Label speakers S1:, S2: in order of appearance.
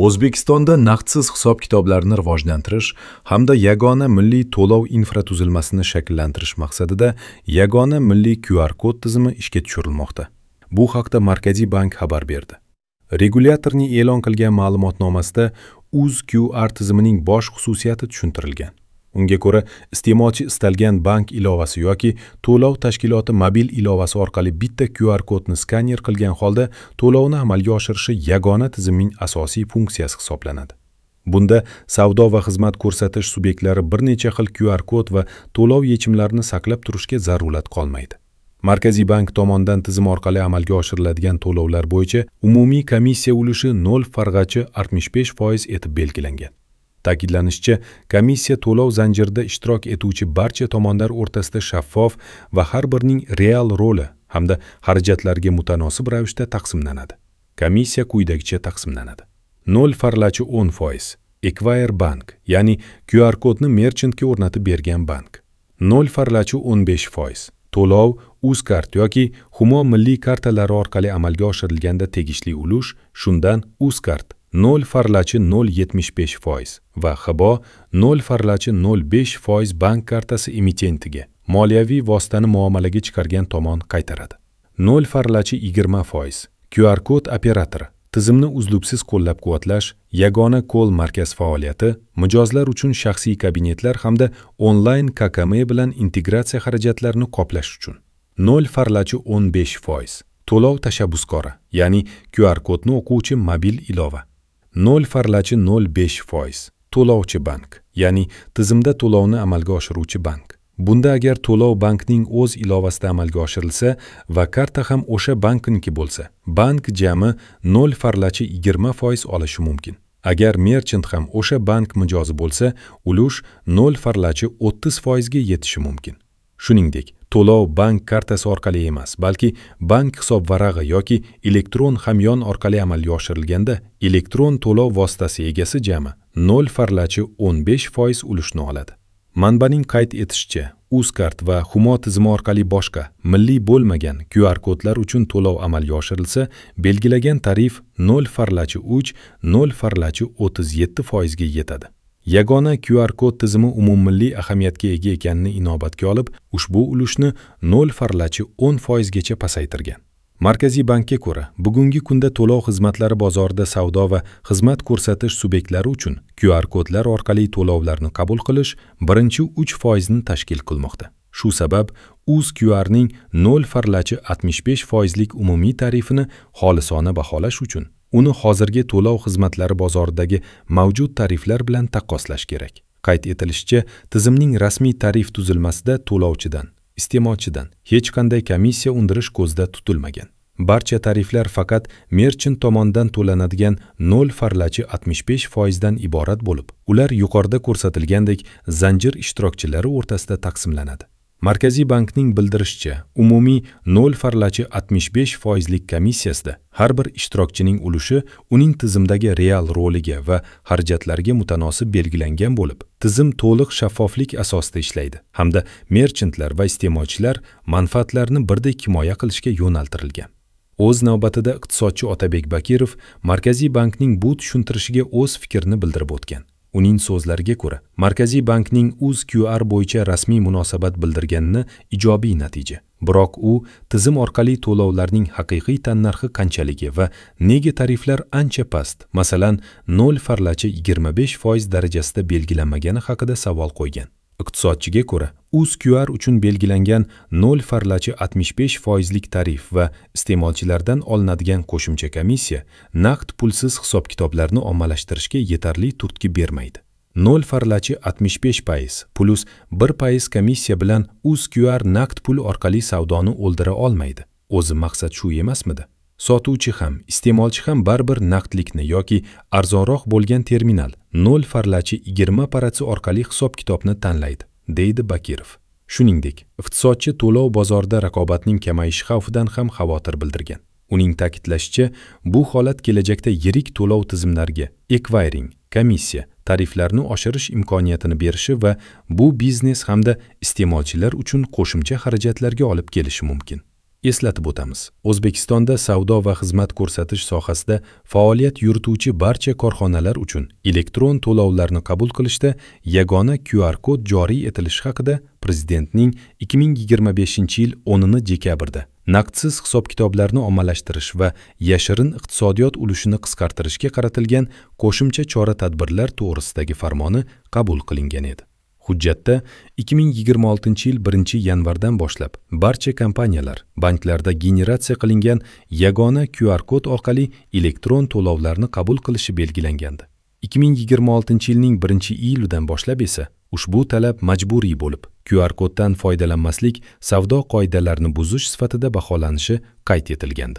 S1: O'zbekistonda naqdsiz hisob-kitoblarni rivojlantirish hamda yagona milliy to'lov infratuzilmasini shakllantirish maqsadida yagona milliy QR kod tizimi ishga tushirilmoqda. Bu haqda Markaziy bank xabar berdi. Regulyatorning e'lon qilgan ma'lumotnomasida UzQR tizimining bosh xususiyati tushuntirilgan. Unga ko'ra, iste'molchi istalgan bank ilovasi yoki to'lov tashkiloti mobil ilovasi orqali bitta QR kodni skaner qilgan holda to'lovni amalga oshirishi yagona tizimning asosiy funksiyasi hisoblanadi. Bunda savdo va xizmat ko'rsatish subyektlari bir necha xil QR kod va to'lov yechimlarini saqlab turishga zarurat qolmaydi. Markaziy bank tomonidan tizim orqali amalga oshiriladigan to'lovlar bo'yicha umumiy komissiya ulushi 0,65% etib belgilangan. Ta'kidlanishicha, komissiya to'lov zanjirida ishtirok etuvchi barcha tomonlar o'rtasida shaffof va har birining real roli hamda xarajatlarga mutanosib ravishda taqsimlanadi. Komissiya quyidagicha taqsimlanadi. 0,10% Acquire Bank, ya'ni QR kodni merchantga o'rnatib bergan bank. 0,15% to'lov Uzcard yoki Humo milliy kartalari orqali amalga oshirilganda tegishli ulush, shundan Uzcard 0,075% va Hibo 0,05% bank kartasi emitentiga moliyaviy vositani muomalaga chiqargan tomon qaytaradi. 0,20% QR kod operatori tizimni uzluksiz qo'llab-quvvatlash, yagona kol markaz faoliyati, mijozlar uchun shaxsiy kabinetlar hamda onlayn KKM bilan integratsiya xarajatlarini qoplash uchun. 0,15% to'lov tashabbuskori, ya'ni QR kodni o'quvchi mobil ilova. 0,05% to'lovchi bank, ya'ni tizimda to'lovni amalga oshiruvchi bank. Bunda agar to'lov bankning o'z ilovasida amalga oshirilsa va karta ham o'sha bankniki bo'lsa, bank jami 0,20% olishi mumkin. Agar merchant ham o'sha bank mijozi bo'lsa, ulush 0,30% ga yetishi mumkin. Shuningdek, to'lov bank kartasi orqali emas, balki bank hisob varag'i yoki elektron hamyon orqali amalga oshirilganda, elektron to'lov vositasi egasi jami 0,15% ulushni oladi. Manbaning qayd etishicha, Uzcard va Humo tizimi orqali boshqa milliy bo'lmagan QR kodlar uchun to'lov amalga oshirilsa, belgilagan tarif 0,3 0,37% ga yetadi. Yagona QR kod tizimi umummilliy ahamiyatga ega ekanini inobatga olib, ushbu ulushni 0,10% gacha pasaytirgan. Markaziy bankka ko'ra, bugungi kunda to'lov xizmatlari bozorida savdo va xizmat ko'rsatish subyektlari uchun QR kodlar orqali to'lovlarni qabul qilish birinchi 3% ni tashkil qilmoqda. Shu sabab UzQRning 0,65% lik umumiy tarifini xolisona baholash uchun uni hozirgi to'lov xizmatlari bozoridagi mavjud tariflar bilan taqqoslash kerak. Qayd etilishicha, tizimning rasmiy tarif tuzilmasida to'lovchidan, iste'molchidan hech qanday komissiya undirish ko'zda tutilmagan. Barcha tariflar faqat merchant tomonidan to'lanadigan 0,65% dan iborat bo'lib, ular yuqorida ko'rsatilgandek zanjir ishtirokchilari o'rtasida taqsimlanadi. Markaziy bankning bildirishicha, umumiy 0,65% lik komissiyasida har bir ishtirokchining ulushi uning tizimdagi real roliga va xarajatlarga mutanosib belgilangan bo'lib, tizim to'liq shaffoflik asosida ishlaydi hamda merchantlar va iste'molchilar manfaatlarini birdek himoya qilishga yo'naltirilgan. O'z navbatida iqtisodchi Otabek Bakirov Markaziy bankning bu tushuntirishiga o'z fikrini bildirib o'tgan. Uning so'zlariga ko'ra, Markaziy bankning UzQR bo'yicha rasmiy munosabat bildirganini ijobiy natija. Biroq u tizim orqali to'lovlarning haqiqiy tannarxi qanchaligi va nega tariflar ancha past, masalan, 0,25% darajasida belgilanmagani haqida savol qo'ygan. Iqtisodchiga ko'ra, UzQR uchun belgilangan 0,65% lik tarif va iste'molchilardan olinadigan qo'shimcha komissiya naqd pulsiz hisob-kitoblarni ommalashtirishga yetarli turtki bermaydi. 0,65% plus 1% komissiya bilan UzQR naqd pul orqali savdoni o'ldira olmaydi. O'zi maqsad shu emasmidi? Sotuvchi ham, iste'molchi ham baribir naqdlikni yoki arzonroq bo'lgan terminal 0,20% orqali hisob-kitobni tanlaydi, deydi Bakirov. Shuningdek, iqtisodchi to'lov bozorida raqobatning kamayishi xavfidan ham xavotir bildirgan. Uning ta'kidlashicha, bu holat kelajakda yirik to'lov tizimlariga ekvayring, komissiya, tariflarni oshirish imkoniyatini berishi va bu biznes hamda iste'molchilar uchun qo'shimcha xarajatlarga olib kelishi mumkin. Eslatib o'tamiz, O'zbekistonda savdo va xizmat ko'rsatish sohasida faoliyat yurituvchi barcha korxonalar uchun elektron to'lovlarni qabul qilishda yagona QR kod joriy etilishi haqida Prezidentning 2025-yil 10-dekabrda naqdsiz hisob-kitoblarni ommalashtirish va yashirin iqtisodiyot ulushini qisqartirishga qaratilgan qo'shimcha chora-tadbirlar to'g'risidagi farmoni qabul qilingan edi. Hujjatda 2026-yil 1-yanvardan boshlab barcha kompaniyalar banklarda generatsiya qilingan yagona QR kod orqali elektron to'lovlarni qabul qilishi belgilangandi. 2026-yilning 1-iyulidan boshlab esa ushbu talab majburiy bo'lib, QR koddan foydalanmaslik savdo qoidalarini buzish sifatida baholanishi qayd etilgandi.